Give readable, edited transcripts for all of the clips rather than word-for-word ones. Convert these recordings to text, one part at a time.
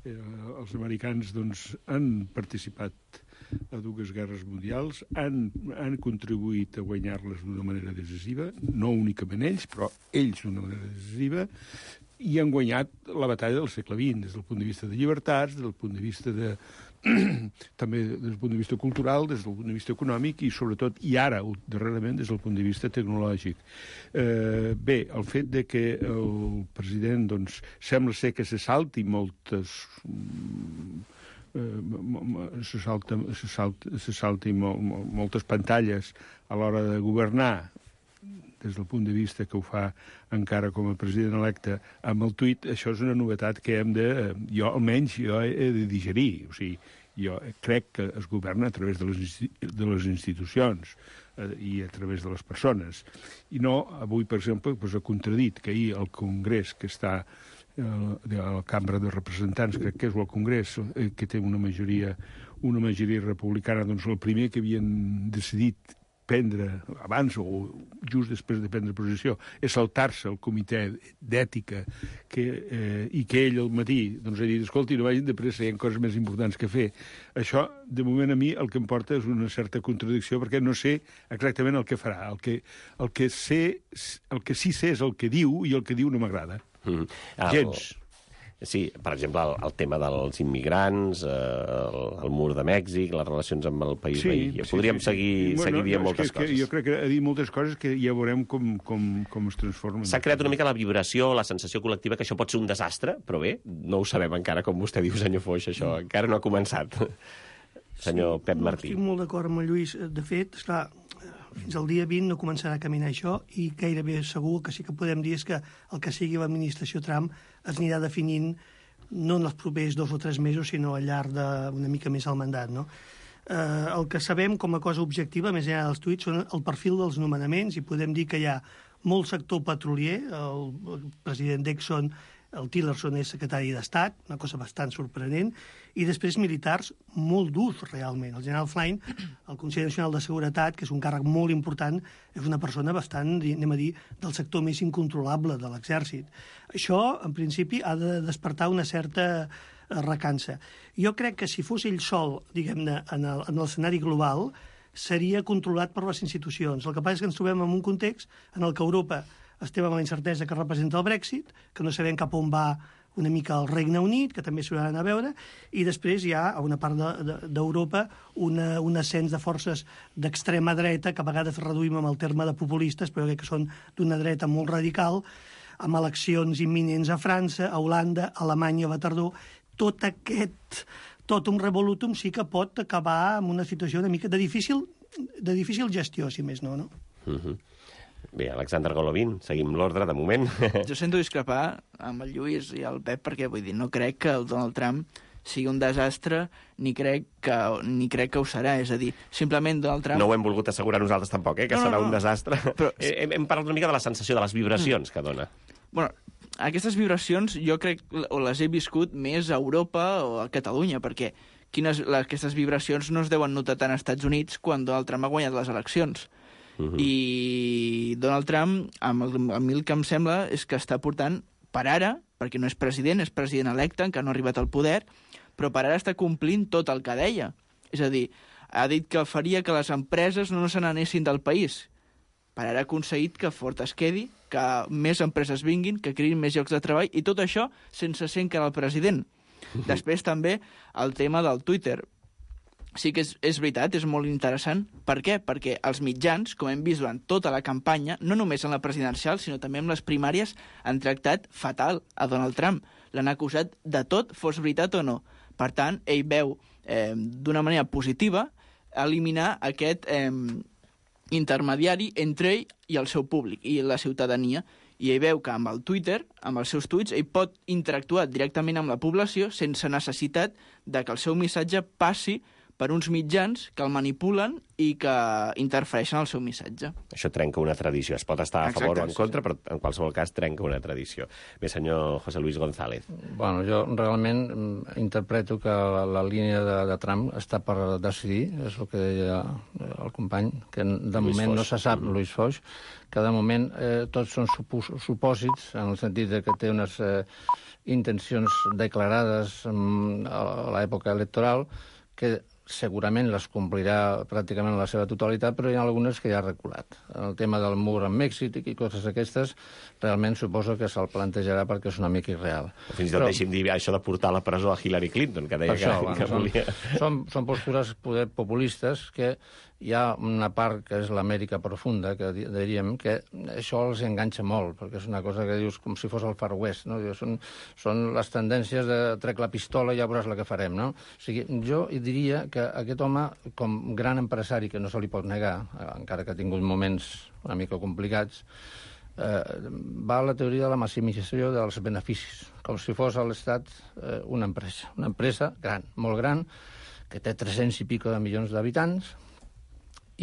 Els americans han participat a dues guerres mundials, han contribuït a guanyar-les d'una manera decisiva, no únicament ells, però ells d'una manera decisiva, i han guanyat la batalla del segle XX, des del punt de vista de llibertats, des del punt de vista també des del punt de vista cultural, des del punt de vista econòmic i, sobretot, i ara, darrerament, des del punt de vista tecnològic. Bé, el fet de que el president, sembla ser que se salti moltes... se salti moltes pantalles a l'hora de governar, des del punt de vista que ho fa encara com a president electe amb el tuit, això és una novetat que almenys jo he de digerir. O sigui, jo crec que es governa a través de les institucions i a través de les persones. I no, avui, per exemple, ha contradit que ahir el Congrés, que està de la Cambra de Representants, crec que és el Congrés, que té una majoria republicana, el primer que havien decidit prendre, abans o just després de prendre posició, és saltar-se el comitè d'ètica i que ell al matí ha dit, escolti, no vagin de pressa, hi ha coses més importants que fer. Això, de moment, a mi el que em porta és una certa contradicció, perquè no sé exactament el que farà. El que sí sé és el que diu, i el que diu no m'agrada. Gens. Sí, per exemple, el tema dels immigrants, el mur de Mèxic, les relacions amb el país veí. Podríem seguir dient moltes coses. Jo crec que ha dit moltes coses que ja veurem com es transformen. S'ha creat una mica la vibració, la sensació col·lectiva que això pot ser un desastre, però bé, no ho sabem encara, com vostè diu, senyor Foix, això encara no ha començat. Senyor Pep Martí. Estic molt d'acord amb el Lluís. De fet, esclar, fins al dia 20 no començarà a caminar això i gairebé segur que sí que podem dir és que el que sigui l'administració Trump es anirà definint no en els propers 2 o 3 mesos, sinó al llarg d'una mica més el mandat, no? El que sabem com a cosa objectiva, més enllà dels tuits, són el perfil dels nomenaments i podem dir que hi ha molt sector petrolier, el president d'Exxon, el Tillerson és secretari d'Estat, una cosa bastant sorprenent, i després militars molt durs, realment. El general Flynn, el Consell Nacional de Seguretat, que és un càrrec molt important, és una persona bastant, anem a dir, del sector més incontrolable de l'exèrcit. Això, en principi, ha de despertar una certa recança. Jo crec que si fos ell sol, diguem-ne, en l'escenari global, seria controlat per les institucions. El que passa és que ens trobem en un context en el que Europa estem amb la incertesa que representa el Brexit, que no sabem cap on va una mica el Regne Unit, que també s'ho han a veure, i després hi ha a una part d'Europa un ascens de forces d'extrema dreta, que a vegades reduïm amb el terme de populistes, però que són d'una dreta molt radical, amb eleccions imminents a França, a Holanda, a Alemanya a la tardor. Tot un revolutum sí que pot acabar amb una situació una mica de difícil gestió, si més no, no? Bé, Alexander Golovin, seguim l'ordre de moment. Jo sento discrepar amb el Lluís i el Pep perquè vull dir, no crec que el Donald Trump sigui un desastre ni crec que ho serà, és a dir, simplement Donald Trump... No ho hem volgut assegurar nosaltres tampoc, que serà un desastre. Però... Hem parlat una mica de la sensació de les vibracions que dona. Bueno, aquestes vibracions jo crec o les he viscut més a Europa o a Catalunya, perquè aquestes vibracions no es deuen notar tant als Estats Units quan Donald Trump ha guanyat les eleccions. I Donald Trump, a mi el que em sembla és que està portant, per ara, perquè no és president electe, encara no ha arribat al poder, però per ara està complint tot el que deia. És a dir, ha dit que faria que les empreses no se n'anessin del país. Per ara ha aconseguit que Ford es quedi, que més empreses vinguin, que creïn més llocs de treball, i tot això sense ser encara el president. Després també el tema del Twitter. Sí que és veritat, és molt interessant. Per què? Perquè els mitjans, com hem vist durant tota la campanya, no només en la presidencial, sinó també en les primàries, han tractat fatal a Donald Trump. L'han acusat de tot, fos veritat o no. Per tant, ell veu d'una manera positiva eliminar aquest intermediari entre ell i el seu públic i la ciutadania. I ell veu que amb el Twitter, amb els seus tuits, ell pot interactuar directament amb la població sense necessitat de que el seu missatge passi per uns mitjans que el manipulen i que interfereixen el seu missatge. Això trenca una tradició. Es pot estar a favor o en contra, però en qualsevol cas trenca una tradició. Bé, senyor José Luis González. Bueno, jo realment interpreto que la línia de Trump està per decidir, és el que deia el company, que de moment no se sap, Luis Foix, que de moment tots són supòsits, en el sentit de que té unes intencions declarades a l'època electoral que segurament les complirà pràcticament la seva totalitat, però hi ha algunes que ja ha reculat. El tema del mur amb Mèxic i coses aquestes, realment suposo que se'l plantejarà perquè és una mica irreal. Fins i tot deixi'm dir això de portar a la presó a Hillary Clinton, que deia que volia... Són postures poder populistes que hi ha una part que és l'Amèrica profunda, que diríem que això els enganxa molt, perquè és una cosa que dius com si fos el Far West, no? Són les tendències de trec la pistola i ja veuràs la que farem, no? O sigui, jo diria que aquest home, com gran empresari, que no se li pot negar, encara que ha tingut moments una mica complicats, va a la teoria de la maximització dels beneficis, com si fos a l'Estat una empresa gran, molt gran, que té 300 i pico de milions d'habitants,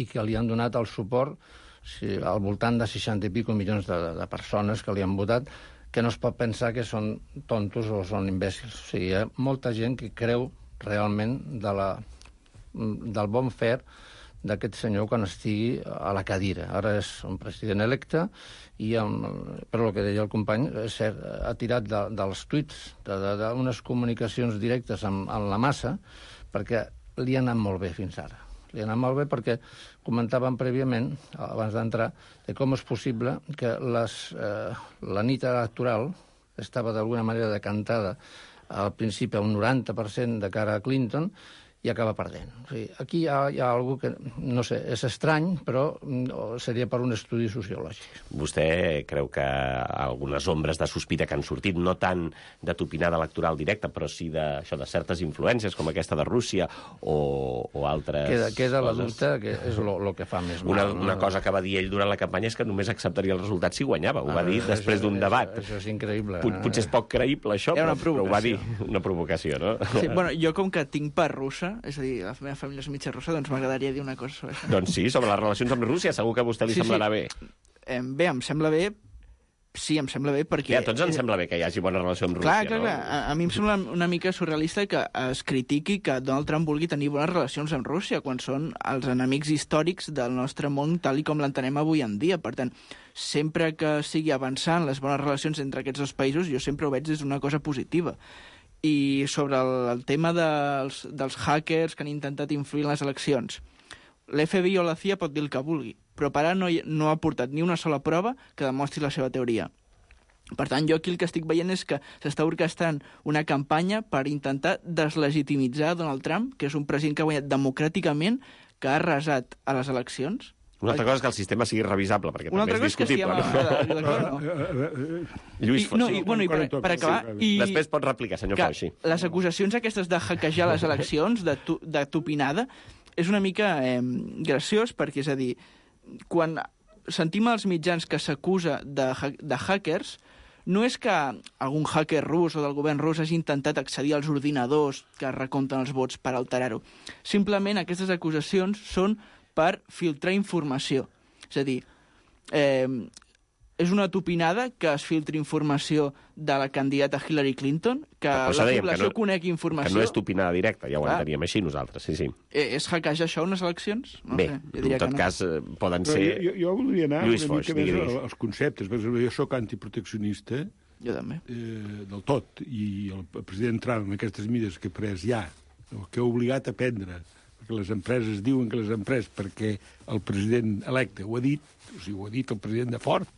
i que li han donat el suport al voltant de 60 i pico milions de persones que li han votat, que no es pot pensar que són tontos o són imbècils. O sigui, hi ha molta gent que creu realment del bon fer d'aquest senyor quan estigui a la cadira. Ara és un president electe i, però el que deia el company, és cert, ha tirat dels tuits, d'unes comunicacions directes amb la massa, perquè li ha anat molt bé fins ara. Li ha anat molt bé perquè comentàvem prèviament, abans d'entrar, de com és possible que la nit electoral estava d'alguna manera decantada al principi a un 90% de cara a Clinton i acaba perdent. O sigui, aquí hi ha alguna cosa que, no sé, és estrany, però seria per un estudi sociològic. Vostè creu que algunes ombres de sospita que han sortit, no tant de topinada electoral directa, però sí de certes influències, com aquesta de Rússia o altres Queda la coses. dubte, que és el que fa més mal. Una cosa que va dir ell durant la campanya és que només acceptaria el resultat si guanyava. Ho va dir després d'un debat. Això és increïble. Potser és poc creïble, això, però ho va dir. Una provocació, no? Sí, bueno, jo com que tinc part russa, és a dir, la meva família és mitja russa, doncs m'agradaria dir una cosa sobre això. Doncs sí, sobre les relacions amb Rússia, segur que a vostè li semblarà bé. Bé, em sembla bé. Sí, em sembla bé perquè... A tots ens sembla bé que hi hagi bona relació amb Rússia, no? Clar. A mi em sembla una mica surrealista que es critiqui que Donald Trump vulgui tenir bones relacions amb Rússia quan són els enemics històrics del nostre món tal i com l'entenem avui en dia. Per tant, sempre que sigui avançant les bones relacions entre aquests dos països, jo sempre ho veig des d'una cosa positiva. I sobre el tema dels hackers que han intentat influir en les eleccions, l'FBI o la CIA pot dir el que vulgui, però per ara no ha portat ni una sola prova que demostri la seva teoria. Per tant, jo aquí el que estic veient és que s'està orquestrant una campanya per intentar deslegitimitzar Donald Trump, que és un president que ha guanyat democràticament, que ha arrasat a les eleccions. Una altra cosa és que el sistema sigui revisable, perquè també és discutible. Lluís Foix. Per acabar... Després pot replicar, senyor Foix. Les acusacions aquestes de hackejar les eleccions, de topinada, és una mica graciós, perquè, és a dir, quan sentim als mitjans que s'acusa de hackers, no és que algun hacker rus o del govern rus hagi intentat accedir als ordinadors que recompten els vots per alterar-ho. Simplement aquestes acusacions són per filtrar informació. És a dir, és una topinada que es filtri informació de la candidata Hillary Clinton, que la població conegui informació... Que no és topinada directa, ja ho enteníem així nosaltres, sí. És hackejar això unes eleccions? Bé, en tot cas, poden ser... Jo voldria anar una mica més als conceptes, perquè jo soc antiproteccionista, jo també. Del tot, i el president Trump, amb aquestes mides que ha pres ja, que ha obligat a prendre, perquè les empreses diuen que les empreses, perquè el president electe ho ha dit, o sigui, ho ha dit el president de Ford.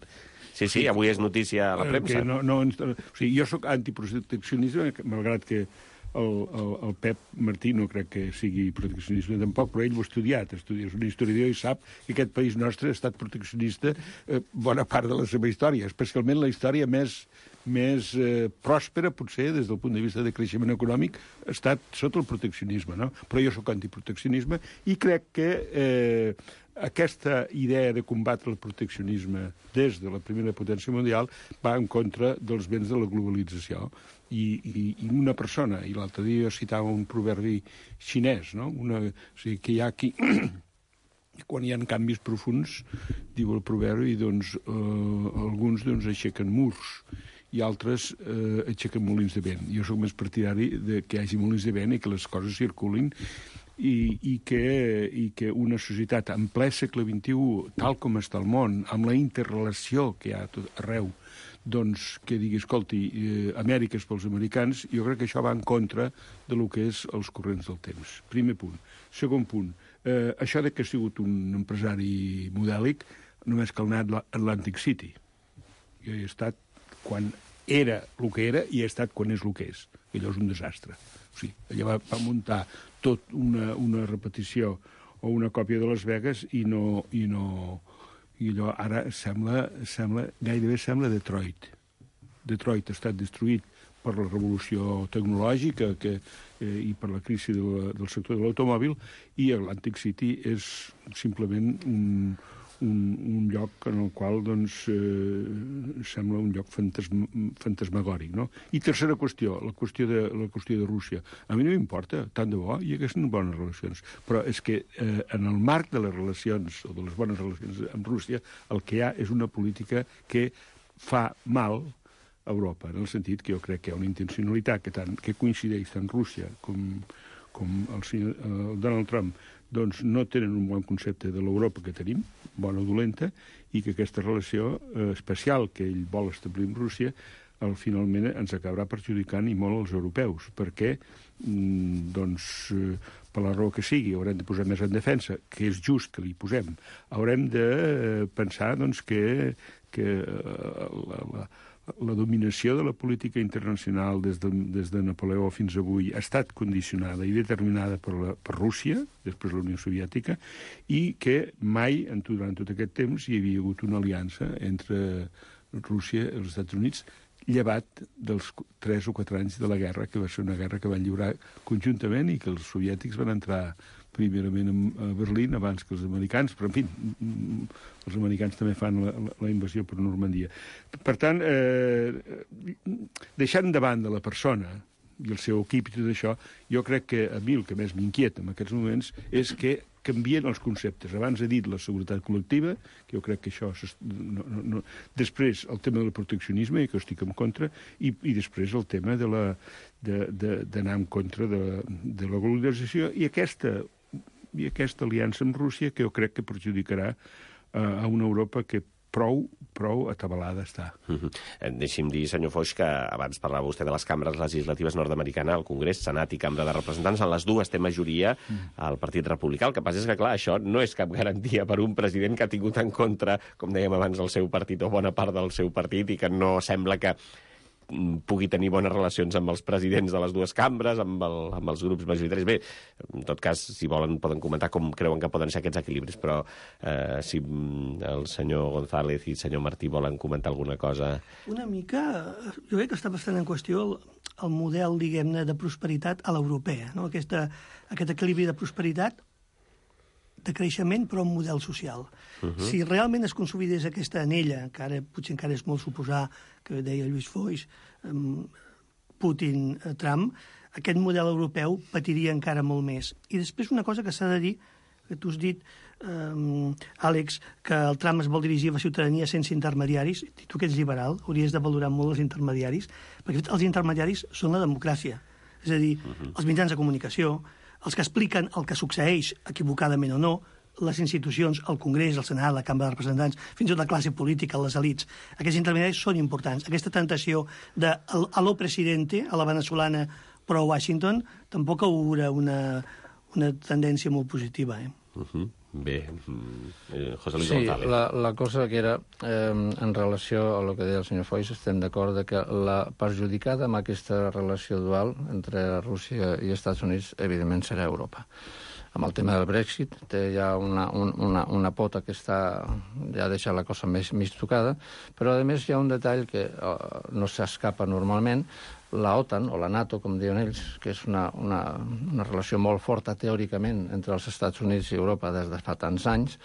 Sí, avui és notícia a la premsa. O sigui, jo sóc antiproteccionista, malgrat que el Pep Martí no crec que sigui proteccionista tampoc, però ell ho ha estudiat, és un historiador i sap que aquest país nostre ha estat proteccionista bona part de la seva història, especialment la història més més pròspera, potser, des del punt de vista de creixement econòmic, ha estat sota el proteccionisme, no? Però jo sóc antiproteccionisme i crec que aquesta idea de combatre el proteccionisme des de la primera potència mundial va en contra dels béns de la globalització. I una persona, i l'altre dia citava un proverbi xinès, no? O sigui, que hi ha aquí... Quan hi ha canvis profuns, diu el proverbi, doncs alguns aixequen murs i altres aixequen molins de vent. Jo sóc més partidari que hi hagi molins de vent i que les coses circulin i que una societat en ple segle XXI, tal com està el món, amb la interrelació que hi ha tot arreu, doncs que digui, escolti, Amèrica és pels americans, jo crec que això va en contra de lo que és els corrents del temps. Primer punt. Segon punt, això de que ha sigut un empresari modèlic només cal anar a Atlantic City. Jo he estat quan era el que era i he estat quan és el que és. Allò és un desastre. O sigui, allà va muntar tot una repetició o una còpia de Las Vegas i allò ara gairebé sembla Detroit. Detroit ha estat destruït per la revolució tecnològica i per la crisi del sector de l'automòbil, i Atlantic City és simplement un lloc en el qual doncs, sembla un lloc fantasmagòric. No? I tercera qüestió, la qüestió de Rússia. A mi no m'importa, tant de bo, i haguessin bones relacions. Però és que en el marc de les relacions, o de les bones relacions amb Rússia, el que hi ha és una política que fa mal a Europa, en el sentit que jo crec que hi ha una intencionalitat que coincideix tant Rússia com el Donald Trump, doncs no tenen un bon concepte de l'Europa que tenim, bona o dolenta, i que aquesta relació especial que ell vol establir amb Rússia finalment ens acabarà perjudicant i molt als europeus, perquè per la raó que sigui haurem de posar més en defensa, que és just que li posem. Haurem de pensar doncs, que la dominació de la política internacional des de Napoleó fins avui ha estat condicionada i determinada per Rússia, després la Unió Soviètica, i que mai, durant tot aquest temps, hi havia hagut una aliança entre Rússia i els Estats Units, llevat dels 3 o 4 anys de la guerra, que va ser una guerra que van lliurar conjuntament i que els soviètics van entrar primerament a Berlín abans que els americans, però en fi, els americans també fan la invasió per Normandia. Per tant, deixant de banda la persona i el seu equip i tot això, jo crec que a mi el que més m'inquieta en aquests moments és que canvien els conceptes. Abans he dit la seguretat col·lectiva, que jo crec que això... Després el tema del proteccionisme, que jo estic en contra, i després el tema d'anar en contra de la globalització i aquesta aliança amb Rússia, que jo crec que perjudicarà a una Europa que prou atabalada està. Deixi'm dir, senyor Foix, que abans parlava vostè de les cambres legislatives nord-americanes, el Congrés, Senat i Cambra de Representants. En les dues té majoria el Partit Republicà. El que passa és que, clar, això no és cap garantia per un president que ha tingut en contra, com dèiem abans, el seu partit o bona part del seu partit, i que no sembla que pugui tenir bones relacions amb els presidents de les dues cambres, amb els grups majoritaris. Bé, en tot cas, si volen, poden comentar com creuen que poden ser aquests equilibris, però si el senyor González i el senyor Martí volen comentar alguna cosa... Una mica, jo crec que està bastant en qüestió el model, diguem-ne, de prosperitat a l'europea, no? Aquest equilibri de prosperitat, de creixement, però un model social. Si realment es consolidés aquesta anella, que ara potser encara és molt suposar, que deia Lluís Foix, Putin, Trump, aquest model europeu patiria encara molt més. I després una cosa que s'ha de dir, que tu has dit, Àlex, que el Trump es vol dirigir a la ciutadania sense intermediaris, i tu que ets liberal, hauries de valorar molt els intermediaris, perquè els intermediaris són la democràcia. És a dir, els mitjans de comunicació, els que expliquen el que succeeix, equivocadament o no, les institucions, el Congrés, el Senat, la Cambra de Representants, fins i tot la classe política, les elits. Aquests intermediaris són importants. Aquesta tentació de a lo presidente, a la venezolana, però a Washington, tampoc haurà una tendència molt positiva. Bé, José Luis González. Sí, la cosa que era, en relació a el que deia el senyor Foix, estem d'acord que la perjudicada amb aquesta relació dual entre Rússia i Estats Units, evidentment, serà Europa. amb el tema del Brexit, té ja una pota que ja deixa la cosa més tocada, però a més hi ha un detall que no s'escapa normalment. La OTAN, o la NATO, com diuen ells, que és una relació molt forta teòricament entre els Estats Units i Europa des de fa tants anys,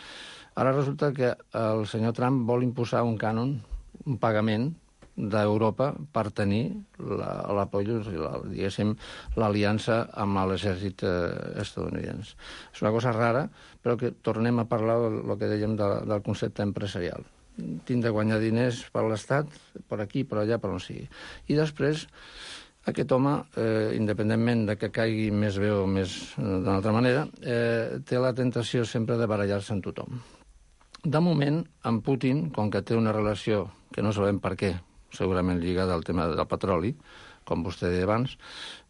ara resulta que el senyor Trump vol imposar un cànon, un pagament d'Europa per tenir diguéssim, l'aliança amb l'exèrcit estadounidense. És una cosa rara, però que tornem a parlar del que dèiem del concepte empresarial. Tinc de guanyar diners per l'Estat, per aquí, per allà, per on sigui. I després, aquest home, independentment de que caigui més bé o més d'una altra manera, té la tentació sempre de barallar-se amb tothom. De moment, amb Putin, com que té una relació que no sabem per què, segurament lligada al tema del petroli, com vostè deia abans,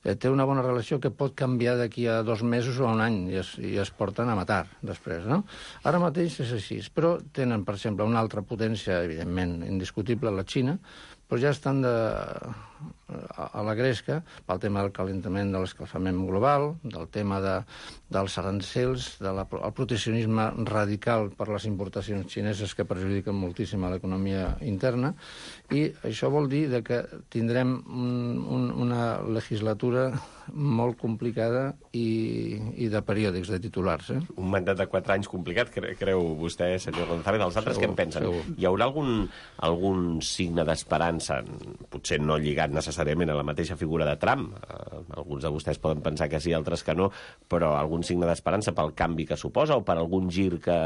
té una bona relació que pot canviar d'aquí a 2 mesos o a un any i es porten a matar després, no? Ara mateix és així, però tenen, per exemple, una altra potència, evidentment, indiscutible, la Xina, però ja estan a la gresca pel tema del calentament de l'escalfament global, del tema dels arancels, del proteccionisme radical per les importacions xineses que perjudiquen moltíssim a l'economia interna, i això vol dir que tindrem una legislatura molt complicada i de periòdics, de titulars. Un mandat de 4 anys complicat, creu vostè, senyor González. Els altres què en pensen? Segur. Hi haurà algun signe d'esperança, potser no lligat necessàriament a la mateixa figura de Trump? Alguns de vostès poden pensar que sí, altres que no, però algun signe d'esperança pel canvi que suposa o per algun gir que,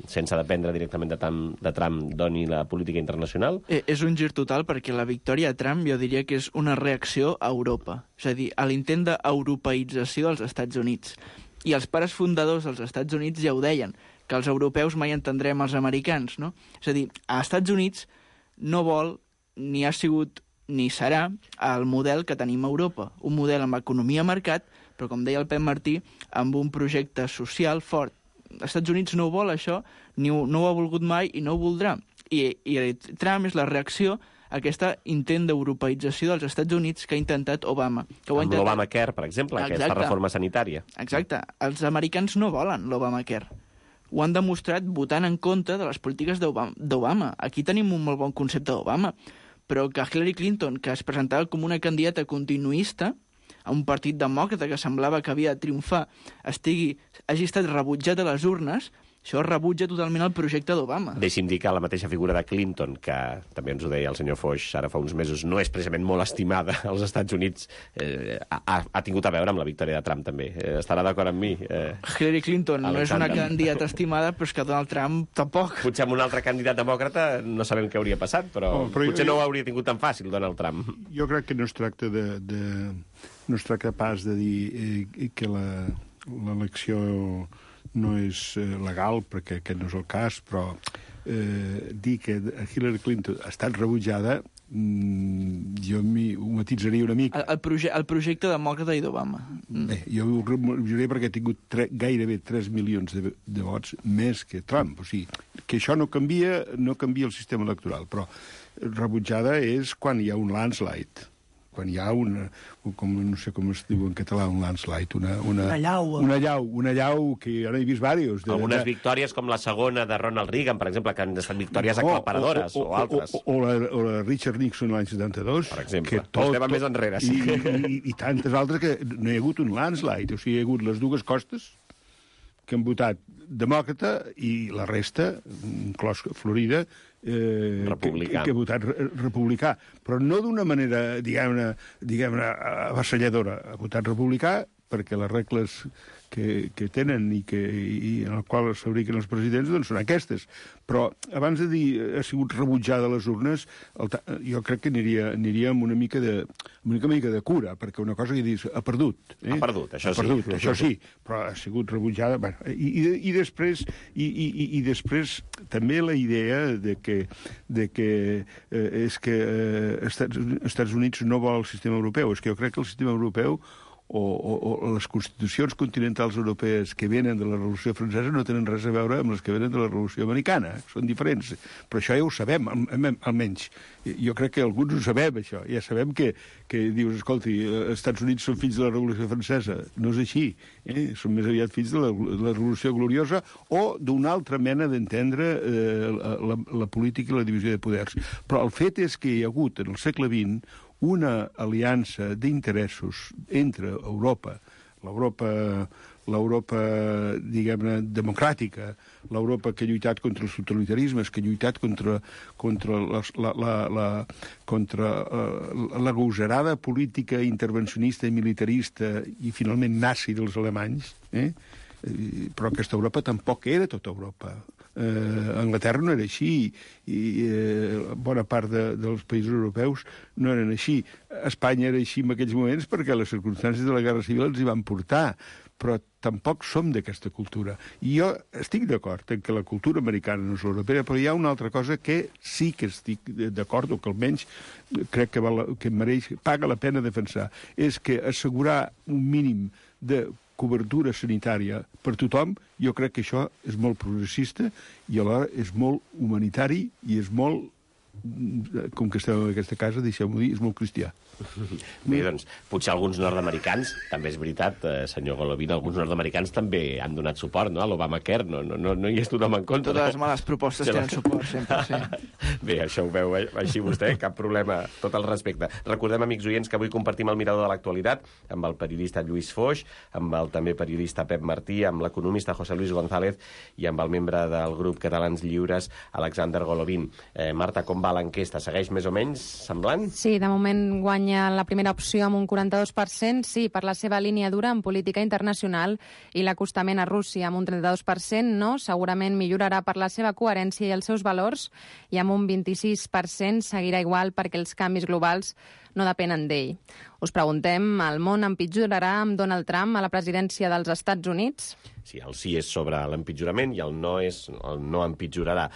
sense dependre directament de Trump, doni la política internacional? És un gir total, perquè la victòria de Trump jo diria que és una reacció a Europa. És a dir, a l'intent d'europeïtzació dels Estats Units. I els pares fundadors dels Estats Units ja ho deien, que els europeus mai entendrem els americans, no? És a dir, als Estats Units no vol, ni ha sigut, ni serà el model que tenim a Europa. Un model amb economia mercat, però, com deia el Pep Martí, amb un projecte social fort. Els Estats Units no ho vol, això, no ho ha volgut mai i no ho voldrà. I Trump és la reacció a aquesta intent d'europeïtzació dels Estats Units que ha intentat Obama. Amb l'Obamacare, per exemple, aquesta reforma sanitària. Exacte. Els americans no volen l'Obamacare. Ho han demostrat votant en contra de les polítiques d'Obama. Aquí tenim un molt bon concepte d'Obama, però que Hillary Clinton, que es presentava com una candidata continuista a un partit demòcrata que semblava que havia de triomfar, hagi estat rebutjat a les urnes, això rebutja totalment el projecte d'Obama. Deixi'm dir que la mateixa figura de Clinton, que també ens ho deia el senyor Foix ara fa uns mesos, no és precisament molt estimada als Estats Units, ha tingut a veure amb la victòria de Trump, també. Estarà d'acord amb mi? Hillary Clinton no és una candidata estimada, però és que Donald Trump tampoc. Potser amb un altre candidat demòcrata no sabem què hauria passat, però potser no ho hauria tingut tan fàcil, Donald Trump. Jo crec que no es tracta no es tracta pas de dir que l'elecció no és legal, perquè aquest no és el cas, però dir que Hillary Clinton ha estat rebutjada, jo ho matitzaria una mica. El projecte demòcrata i d'Obama. Bé, jo ho rebutjaria perquè ha tingut gairebé 3 milions de vots més que Trump. O sigui, que això no canvia el sistema electoral, però rebutjada és quan hi ha un landslide. Quan hi ha no sé com es diu en català, un landslide, una llau, que ara he vist diversos. Algunes victòries, com la segona de Ronald Reagan, per exemple, que han estat victòries aclaparadores, o altres. O la Richard Nixon l'any 72. Per exemple. Vostè va més enrere, sí. I tantes altres que no hi ha hagut un landslide. O sigui, hi ha hagut les dues costes que han votat demòcrata i la resta, inclòs Florida, republicà. Que ha votat republicà, però no d'una manera, diguem-ne, avassalladora. Ha votat republicà perquè les regles que tenen i en el qual es fabriquen els presidents doncs són aquestes. Però abans de dir ha sigut rebutjada a les urnes, jo crec que aniria amb una mica de cura, perquè una cosa que dius, ha perdut. Ha perdut, això sí. Això sí, però ha sigut rebutjada. Bueno, i després també la idea de que és que Estats Units no vol el sistema europeu. És que jo crec que el sistema europeu les constitucions continentals europees que venen de la Revolució Francesa no tenen res a veure amb les que venen de la Revolució Americana. Són diferents. Però això ja ho sabem, almenys. Jo crec que alguns ho sabem, això. Ja sabem que dius, escolti, els Estats Units són fills de la Revolució Francesa. No és així. Són més aviat fills de la Revolució Gloriosa o d'una altra mena d'entendre la política i la divisió de poders. Però el fet és que hi ha hagut, en el segle XX, una aliança d'interessos entre Europa, l'Europa, diguem-ne, democràtica, l'Europa que ha lluitat contra els totalitarismes, que ha lluitat contra la gosarada política intervencionista i militarista i finalment nazi dels alemanys, però aquesta Europa tampoc era tota Europa. Anglaterra no era així i bona part dels països europeus no eren així. Espanya era així en aquells moments perquè les circumstàncies de la Guerra Civil ens hi van portar, però tampoc som d'aquesta cultura. I jo estic d'acord en que la cultura americana no és l'europea, però hi ha una altra cosa que sí que estic d'acord, o que almenys crec que mereix, paga la pena defensar, és que assegurar un mínim de cobertura sanitària per tothom, jo crec que això és molt progressista i alhora és molt humanitari i és molt, com que estem en aquesta casa, deixeu-m'ho dir, és molt cristià. Bé, doncs, potser alguns nord-americans, també és veritat, senyor Golovin, alguns nord-americans també han donat suport, no?, a l'Obamacare, no hi és tothom en contra. Totes les males propostes tenen suport, sempre, sí. Bé, això ho veu així vostè, cap problema, tot el respecte. Recordem, amics oients, que avui compartim el mirador de l'actualitat amb el periodista Lluís Foix, amb el també periodista Pep Martí, amb l'economista José Luis González i amb el membre del grup Catalans Lliures, Alexander Golovin. Marta, com va l'enquesta? Segueix més o menys semblant? Sí, de moment guanya la primera opció amb un 42%, sí, per la seva línia dura en política internacional, i l'acostament a Rússia amb un 32%, no, segurament millorarà per la seva coherència i els seus valors, i amb un 26% seguirà igual perquè els canvis globals no depenen d'ell. Us preguntem, el món empitjorarà amb Donald Trump a la presidència dels Estats Units? Sí, el sí és sobre l'empitjorament i el no empitjorarà.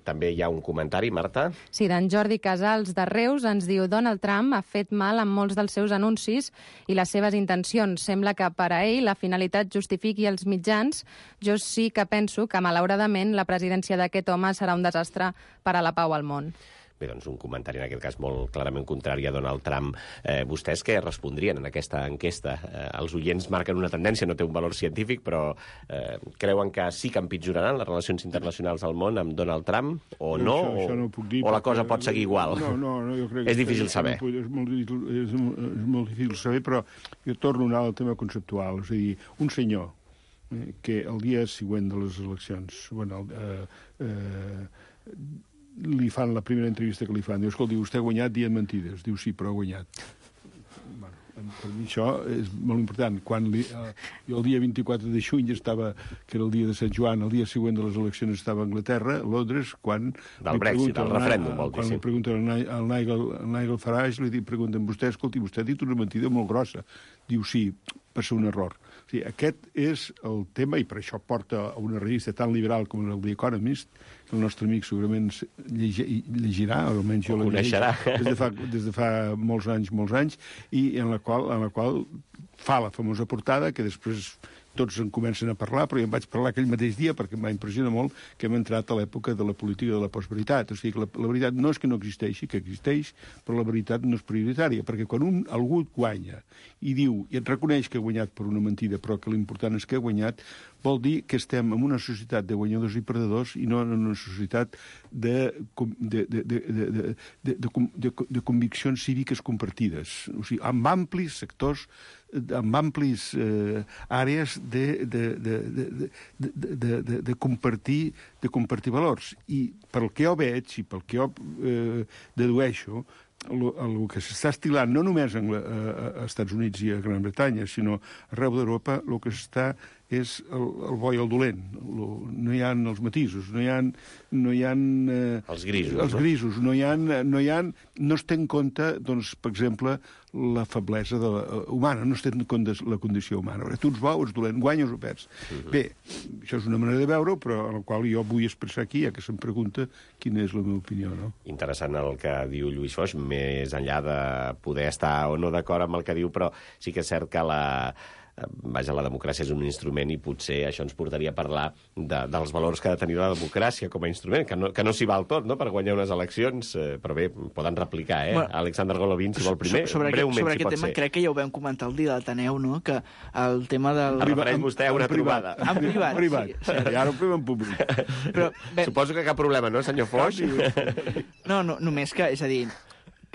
També hi ha un comentari, Marta? Sí, d'en Jordi Casals de Reus ens diu: Donald Trump ha fet mal amb molts dels seus anuncis i les seves intencions. Sembla que per a ell la finalitat justifiqui els mitjans. Jo sí que penso que, malauradament, la presidència d'aquest home serà un desastre per a la pau al món. Bé, doncs un comentari en aquest cas molt clarament contrari a Donald Trump. Vostès què respondrien en aquesta enquesta? Els oients marquen una tendència, no té un valor científic, però creuen que sí que empitjoraran les relacions internacionals al món amb Donald Trump, o no? Això no ho puc dir, o la cosa pot seguir igual? No, jo crec que és difícil saber. És molt difícil saber, però jo torno a anar al tema conceptual. És a dir, un senyor que el dia següent de les eleccions, li fan la primera entrevista que li fan, diu, escolti, vostè ha guanyat dient mentides. Diu, sí, però ha guanyat. Per mi això és molt important. Jo el dia 24 de juny estava, que era el dia de Sant Joan, el dia següent de les eleccions estava a Anglaterra, a Londres, quan... Del Brexit, el referèndum, vol dir, sí. Quan li pregunten al Nigel Farage, li pregunten, vostè ha dit una mentida molt grossa. Diu, sí, va ser un error. O sigui, aquest és el tema, i per això porta a una revista tan liberal com el The Economist, que el nostre amic segurament llegirà, o almenys jo la coneixerà des de fa molts anys, i en la qual fa la famosa portada, que després tots en comencen a parlar, però jo em vaig parlar aquell mateix dia perquè em va impressionar molt que hem entrat a l'època de la política de la postveritat. O sigui que la veritat no és que no existeixi, que existeix, però la veritat no és prioritària, perquè quan algú guanya i diu, i et reconeix que ha guanyat per una mentida, però que l'important és que ha guanyat, vol dir que estem en una societat de guanyadors i perdedors i no en una societat de conviccions cíviques compartides. O sigui, amb amplis sectors, amb amplis àrees de compartir valors. I pel que jo veig i pel que jo dedueixo, el que s'està estilant no només als Estats Units i a Gran Bretanya, sinó arreu d'Europa, el que s'està és el bo i el dolent. No hi ha els matisos, no hi ha els grisos. No es té en compte, doncs, per exemple, la feblesa humana, no es té en compte la condició humana. Perquè tu ets bo o ets dolent, guanyes o perds. Bé, això és una manera de veure-ho, però en la qual jo vull expressar aquí, ja que se'm pregunta quina és la meva opinió, no? Interessant el que diu Lluís Foix, més enllà de poder estar o no d'acord amb el que diu, però sí que és cert que la democràcia és un instrument i potser això ens portaria a parlar dels valors que ha de tenir la democràcia com a instrument, que no s'hi val tot, no?, per guanyar unes eleccions, però bé, poden replicar, Bueno, Alexander Golovin, si vol primer, breument, sobre aquest tema, crec que ja ho vam comentar el dia de l'Ateneu, no?, que el tema del... Es refereix vostè a una trobada. En privat. Sí. Ara ho fem en públic. Però, suposo que cap problema, no, senyor Foix? No, només que, és a dir,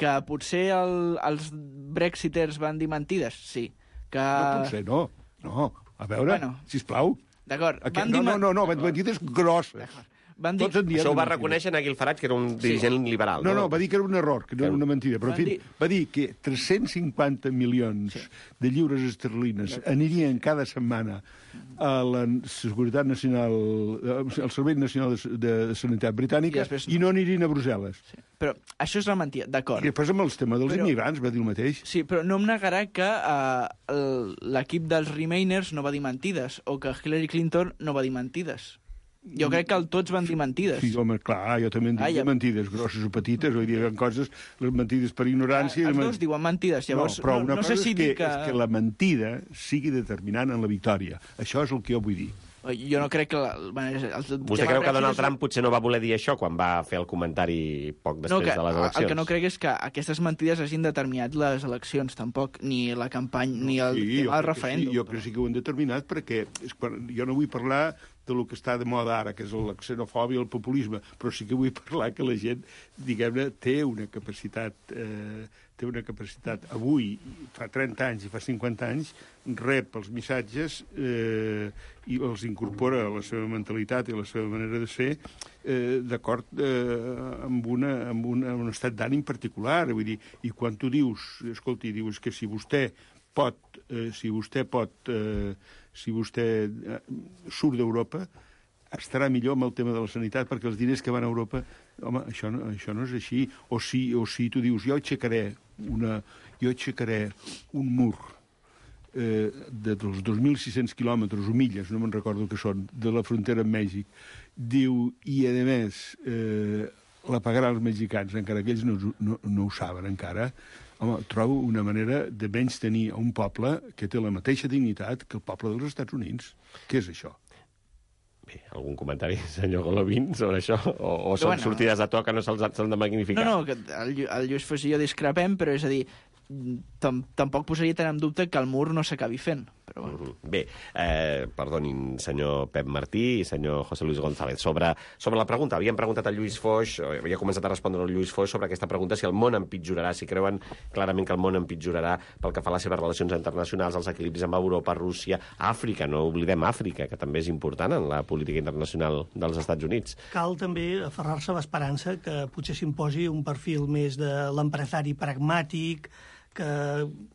que potser els brexiters van dir mentides, sí. No, potser no. A veure, sisplau. D'acord. No, mentides grosses. Això ho va reconèixer Nigel Farage, que era un dirigent liberal. No, va dir que era un error, que no era una mentida. Però, en fi, va dir que 350 milions de lliures esterlines anirien cada setmana a la Seguretat Nacional, al Servei Nacional de Sanitat Britànica, i no anirien a Brussel·les. Sí. Però això és la mentida, d'acord. I després amb el tema dels immigrants va dir el mateix. Sí, però no em negarà que l'equip dels Remainers no va dir mentides, o que Hillary Clinton no va dir mentides. Jo crec que tots van dir mentides. Sí, home, clar, jo també en dic mentides, grosses o petites, vull dir, coses, les mentides per ignorància... Els dos diuen mentides, llavors no sé si dir que... És que la mentida sigui determinant en la victòria. Això és el que jo vull dir. Jo no crec que... Vostè creu que Donald Trump potser no va voler dir això quan va fer el comentari poc després de les eleccions? El que no crec és que aquestes mentides hagin determinat les eleccions, tampoc, ni la campanya, ni el referèndum. Jo crec que sí que ho han determinat, perquè jo no vull parlar de lo que està de moda ara, que és la xenofòbia i el populisme, però sí que vull parlar que la gent, diguem-ne, té una capacitat avui, fa 30 anys i fa 50 anys, rep els missatges i els incorpora a la seva mentalitat i a la seva manera de ser d'acord amb un estat d'ànim particular. Vull dir, i quan tu dius, escolti, dius que si vostè surt d'Europa, estarà millor amb el tema de la sanitat, perquè els diners que van a Europa... Home, això no és així. O si tu dius, jo aixecaré un mur dels 2.600 quilòmetres o milles, no me'n recordo que són, de la frontera amb Mèxic, diu, i a més la pagaran els mexicans, encara que ells no ho saben encara. Home, trobo una manera de menys tenir un poble que té la mateixa dignitat que el poble dels Estats Units. Què és això? Bé, algun comentari, senyor Golovin, sobre això? O són sortides de to que no s'han de magnificar? No, que el Lluís Foix i jo discrepem, però és a dir, tampoc posaria tant en dubte que el mur no s'acabi fent. Però bueno. Bé, perdonin, senyor Pep Martí i senyor José Luis González. Sobre la pregunta, havíem preguntat al Lluís Foix, havia començat a respondre al Lluís Foix sobre aquesta pregunta, si el món empitjorarà, si creuen clarament que el món empitjorarà pel que fa a les seves relacions internacionals, els equilibris amb Europa, Rússia, Àfrica, no oblidem Àfrica, que també és important en la política internacional dels Estats Units. Cal també aferrar-se a l'esperança que potser s'imposi un perfil més de l'empresari pragmàtic, que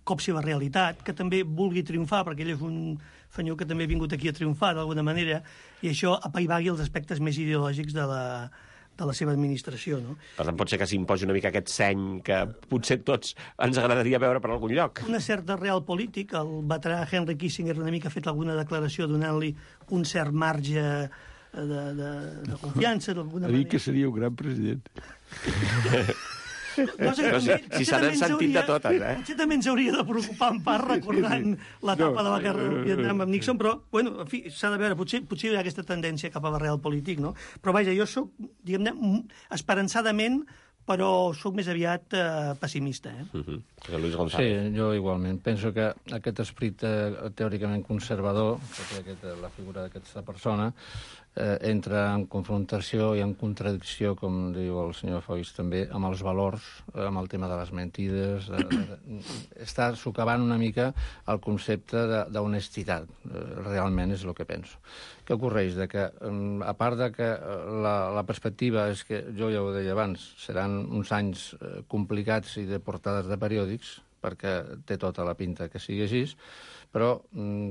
copsi la realitat, que també vulgui triomfar, perquè ell és un senyor que també ha vingut aquí a triomfar d'alguna manera, i això apaivagui els aspectes més ideològics de la seva administració. No? Per tant, pot ser que s'imposi una mica aquest seny que potser tots ens agradaria veure per algun lloc. Una certa real polític, el veterà Henry Kissinger una mica ha fet alguna declaració donant-li un cert marge de confiança d'alguna manera. Ha dit que seria un gran president. Si se n'han sentit de totes, Potser també ens hauria de preocupar en part recordant l'etapa de la guerra del Vietnam amb Nixon, però, bueno, en fi, s'ha de veure, potser hi ha aquesta tendència cap a la real polític, no? Però, vaja, jo soc, diguem-ne, esperançadament, però sóc més aviat pessimista. Luis González. Sí, jo igualment. Penso que aquest esperit teòricament conservador, que té la figura d'aquesta persona, entra en confrontació i en contradicció, com diu el senyor Foix també, amb els valors, amb el tema de les mentides. Està socavant una mica el concepte d'honestitat. Realment és el que penso. Què ocorreix? Que, a part de que la perspectiva és que, jo ja ho deia abans, seran uns anys complicats i de portades de periòdics, perquè té tota la pinta que sigui així, però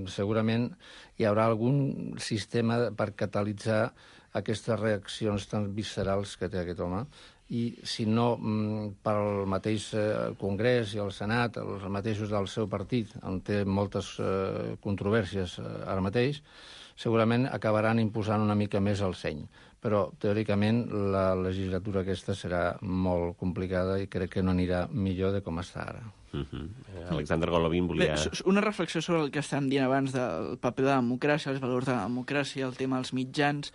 segurament hi haurà algun sistema per catalitzar aquestes reaccions tan viscerals que té aquest home, i si no pel mateix Congrés i el Senat, els mateixos del seu partit, on té moltes controvèrsies ara mateix, segurament acabaran imposant una mica més el seny. Però, teòricament, la legislatura aquesta serà molt complicada i crec que no anirà millor de com està ara. Alexander Golovin volia... Bé, una reflexió sobre el que estàvem dient abans del paper de la democràcia, els valors de la democràcia, el tema dels mitjans.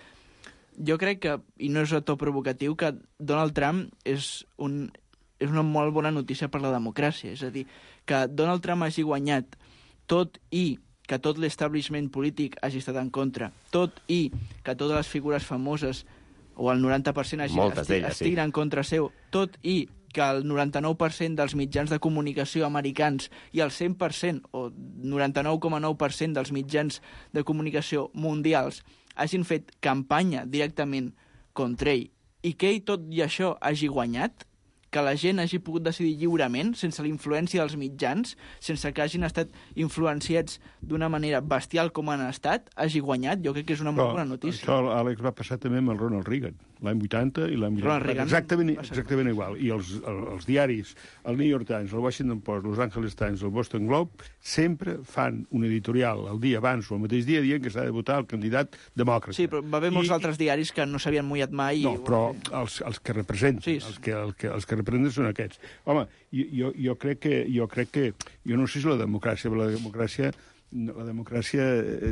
Jo crec que, i no és a to provocatiu, que Donald Trump és una molt bona notícia per la democràcia. És a dir, que Donald Trump hagi guanyat tot i que tot l'establishment polític hagi estat en contra, tot i que totes les figures famoses, o el 90% estiguin en contra seu, tot i que el 99% dels mitjans de comunicació americans i el 100% o 99,9% dels mitjans de comunicació mundials hagin fet campanya directament contra ell, i que ell tot i això hagi guanyat, que la gent hagi pogut decidir lliurement, sense la influència dels mitjans, sense que hagin estat influenciats d'una manera bestial com han estat, hagi guanyat, jo crec que és una molt bona notícia. Això, Àlex, va passar també amb el Ronald Reagan, l'any 80 i l'any 80. Exactament igual. I els diaris, el New York Times, el Washington Post, Los Angeles Times, el Boston Globe, sempre fan un editorial el dia abans o el mateix dia dient que s'ha de votar el candidat demòcrata. Sí, però va haver molts altres diaris que no s'havien mullat mai. No, però els que representen, sí. els que representen són aquests. Home, jo crec que... Jo no sé si la democràcia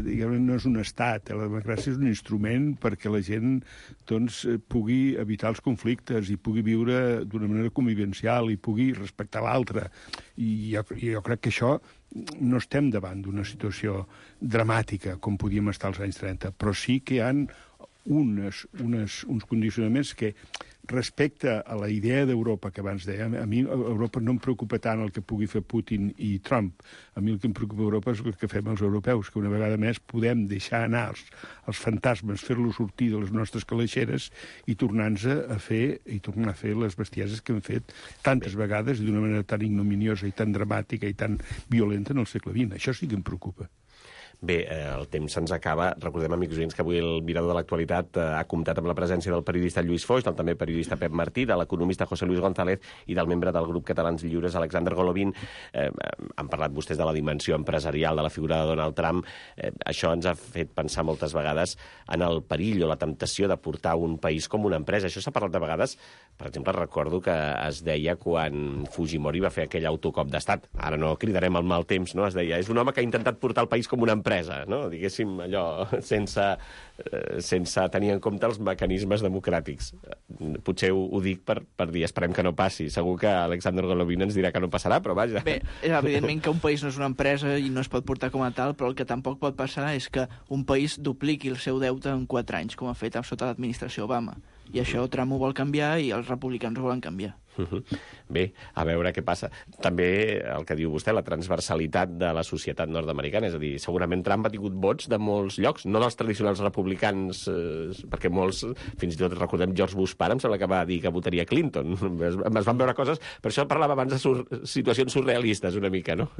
diguem, no és un estat, la democràcia és un instrument perquè la gent doncs, pugui evitar els conflictes i pugui viure d'una manera convivencial i pugui respectar l'altre. I jo crec que això no estem davant d'una situació dramàtica com podíem estar als anys 30, però sí que hi ha uns condicionaments que respecte a la idea d'Europa que abans deia, a mi Europa no em preocupa tant el que pugui fer Putin i Trump. A mi el que em preocupa a Europa és el que fem els europeus, que una vegada més podem deixar anar els fantasmes, fer-los sortir de les nostres calaixeres i tornar-nos a fer les bestieses que hem fet tantes vegades i d'una manera tan ignominiosa i tan dramàtica i tan violenta en el segle XX. Això sí que em preocupa. Bé, el temps se'ns acaba. Recordem, amics oients, que avui el Mirador de l'Actualitat ha comptat amb la presència del periodista Lluís Foix, del també periodista Pep Martí, de l'economista José Luis González i del membre del grup Catalans Lliures, Alexander Golovin. Han parlat vostès de la dimensió empresarial de la figura de Donald Trump. Això ens ha fet pensar moltes vegades en el perill o la temptació de portar un país com una empresa. Això s'ha parlat de vegades. Per exemple, recordo que es deia quan Fujimori va fer aquell autocop d'estat. Ara no cridarem el mal temps, no? Es deia, és un home que ha intentat portar el país com una empresa, no? Diguéssim, allò, sense tenir en compte els mecanismes democràtics. Potser ho dic per dir, esperem que no passi. Segur que Alexander Golovin ens dirà que no passarà, però vaja. Bé, evidentment que un país no és una empresa i no es pot portar com a tal, però el que tampoc pot passar és que un país dupliqui el seu deute en 4 anys, com ha fet sota l'administració Obama. I això Trump ho vol canviar i els republicans ho volen canviar. Bé, a veure què passa. També el que diu vostè, la transversalitat de la societat nord-americana, és a dir, segurament Trump ha tingut vots de molts llocs, no dels tradicionals republicans, perquè molts, fins i tot recordem George Bush pare, em sembla que va dir que votaria Clinton. Es van veure coses, per això parlava abans de situacions surrealistes una mica, no?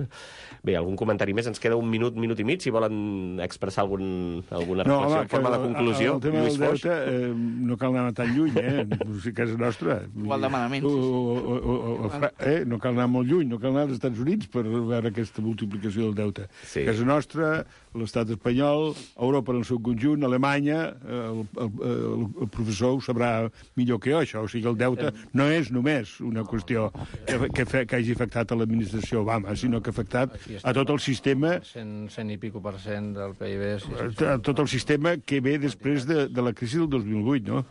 Bé, algun comentari més? Ens queda un minut i mig, si volen expressar alguna reflexió en forma de conclusió. El tema del deute no cal anar tan lluny, a casa nostra. Igual de malament. No cal anar molt lluny, no cal anar als Estats Units per veure aquesta multiplicació del deute. Sí. Casa nostra, l'estat espanyol, Europa en el seu conjunt, Alemanya, el professor ho sabrà millor que jo, això. O sigui, el deute no és només una qüestió que hagi afectat a l'administració Obama, sinó que ha afectat a tot el sistema... 100 i pico % del PIB. A tot el sistema que ve després de la crisi del 2008, no?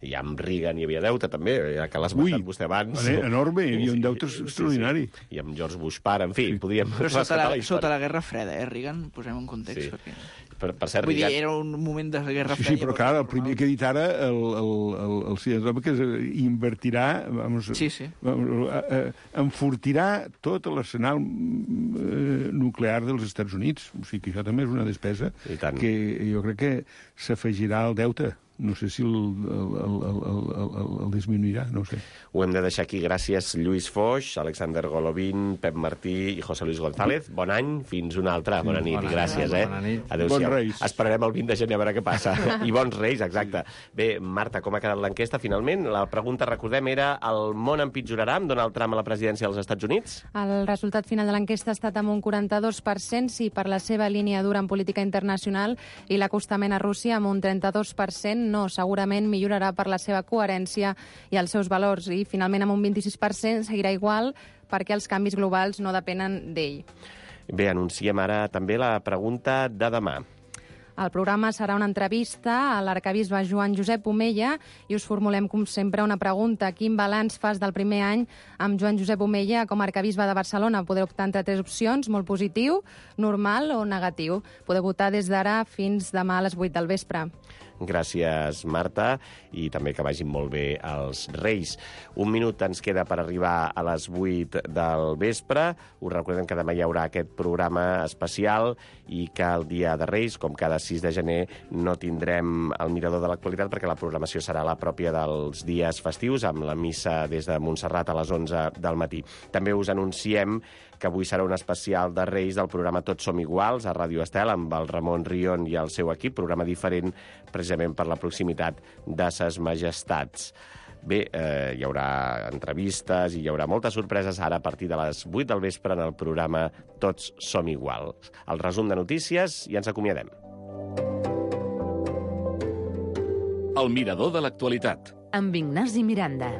I amb Reagan hi havia deute, també, ja que l'has esmentat vostè abans. Enorme, hi havia un deute extraordinari. I amb George Bush pare, en fi, podríem... Però sota la Guerra Freda, Reagan, posem en context. Sí. Perquè... Per cert, vull dir, era un moment de Guerra Freda. Sí, però clar, el primer que ha dit ara el senyor que invertirà, enfortirà tot l'arsenal nuclear dels Estats Units. O sigui que això també és una despesa que jo crec que s'afegirà al deute no sé si el disminuirà, no ho sé. Ho hem de deixar aquí. Gràcies, Lluís Foix, Alexander Golovin, Pep Martí i José Luis González. Bon any, fins una altra. Bona nit i gràcies. Bona nit. Adéu-siau. Bons Reis. Esperarem el 20 de gener a veure què passa. I bons Reis, exacte. Bé, Marta, com ha quedat l'enquesta finalment? La pregunta, recordem, era el món empitjorarà amb Donald Trump a la presidència dels Estats Units? El resultat final de l'enquesta ha estat amb un 42%, sí, per la seva línia dura en política internacional, i l'acostament a Rússia amb un 32%, no, segurament millorarà per la seva coherència i els seus valors, i finalment amb un 26% seguirà igual perquè els canvis globals no depenen d'ell. Bé, anunciem ara també la pregunta de demà. El programa serà una entrevista a l'arquebisbe Joan Josep Omella i us formulem, com sempre, una pregunta. Quin balanç fas del primer any amb Joan Josep Omella com a arquebisbe de Barcelona? Podeu optar entre 3 opcions, molt positiu, normal o negatiu. Podeu votar des d'ara fins demà a les 8 del vespre. Gràcies, Marta, i també que vagin molt bé els Reis. Un minut ens queda per arribar a les 8 del vespre. Us recordem que demà hi haurà aquest programa especial i que el dia de Reis, com cada 6 de gener, no tindrem el mirador de l'actualitat perquè la programació serà la pròpia dels dies festius, amb la missa des de Montserrat a les 11 del matí. També us anunciem que avui serà un especial de Reis del programa Tots som iguals, a Ràdio Estel, amb el Ramon Rion i el seu equip, programa diferent precisament per la proximitat de ses majestats. Bé, hi haurà entrevistes i hi haurà moltes sorpreses ara a partir de les 8 del vespre en el programa Tots som iguals. El resum de notícies i ens acomiadem. El mirador de l'actualitat. Amb Ignasi Miranda.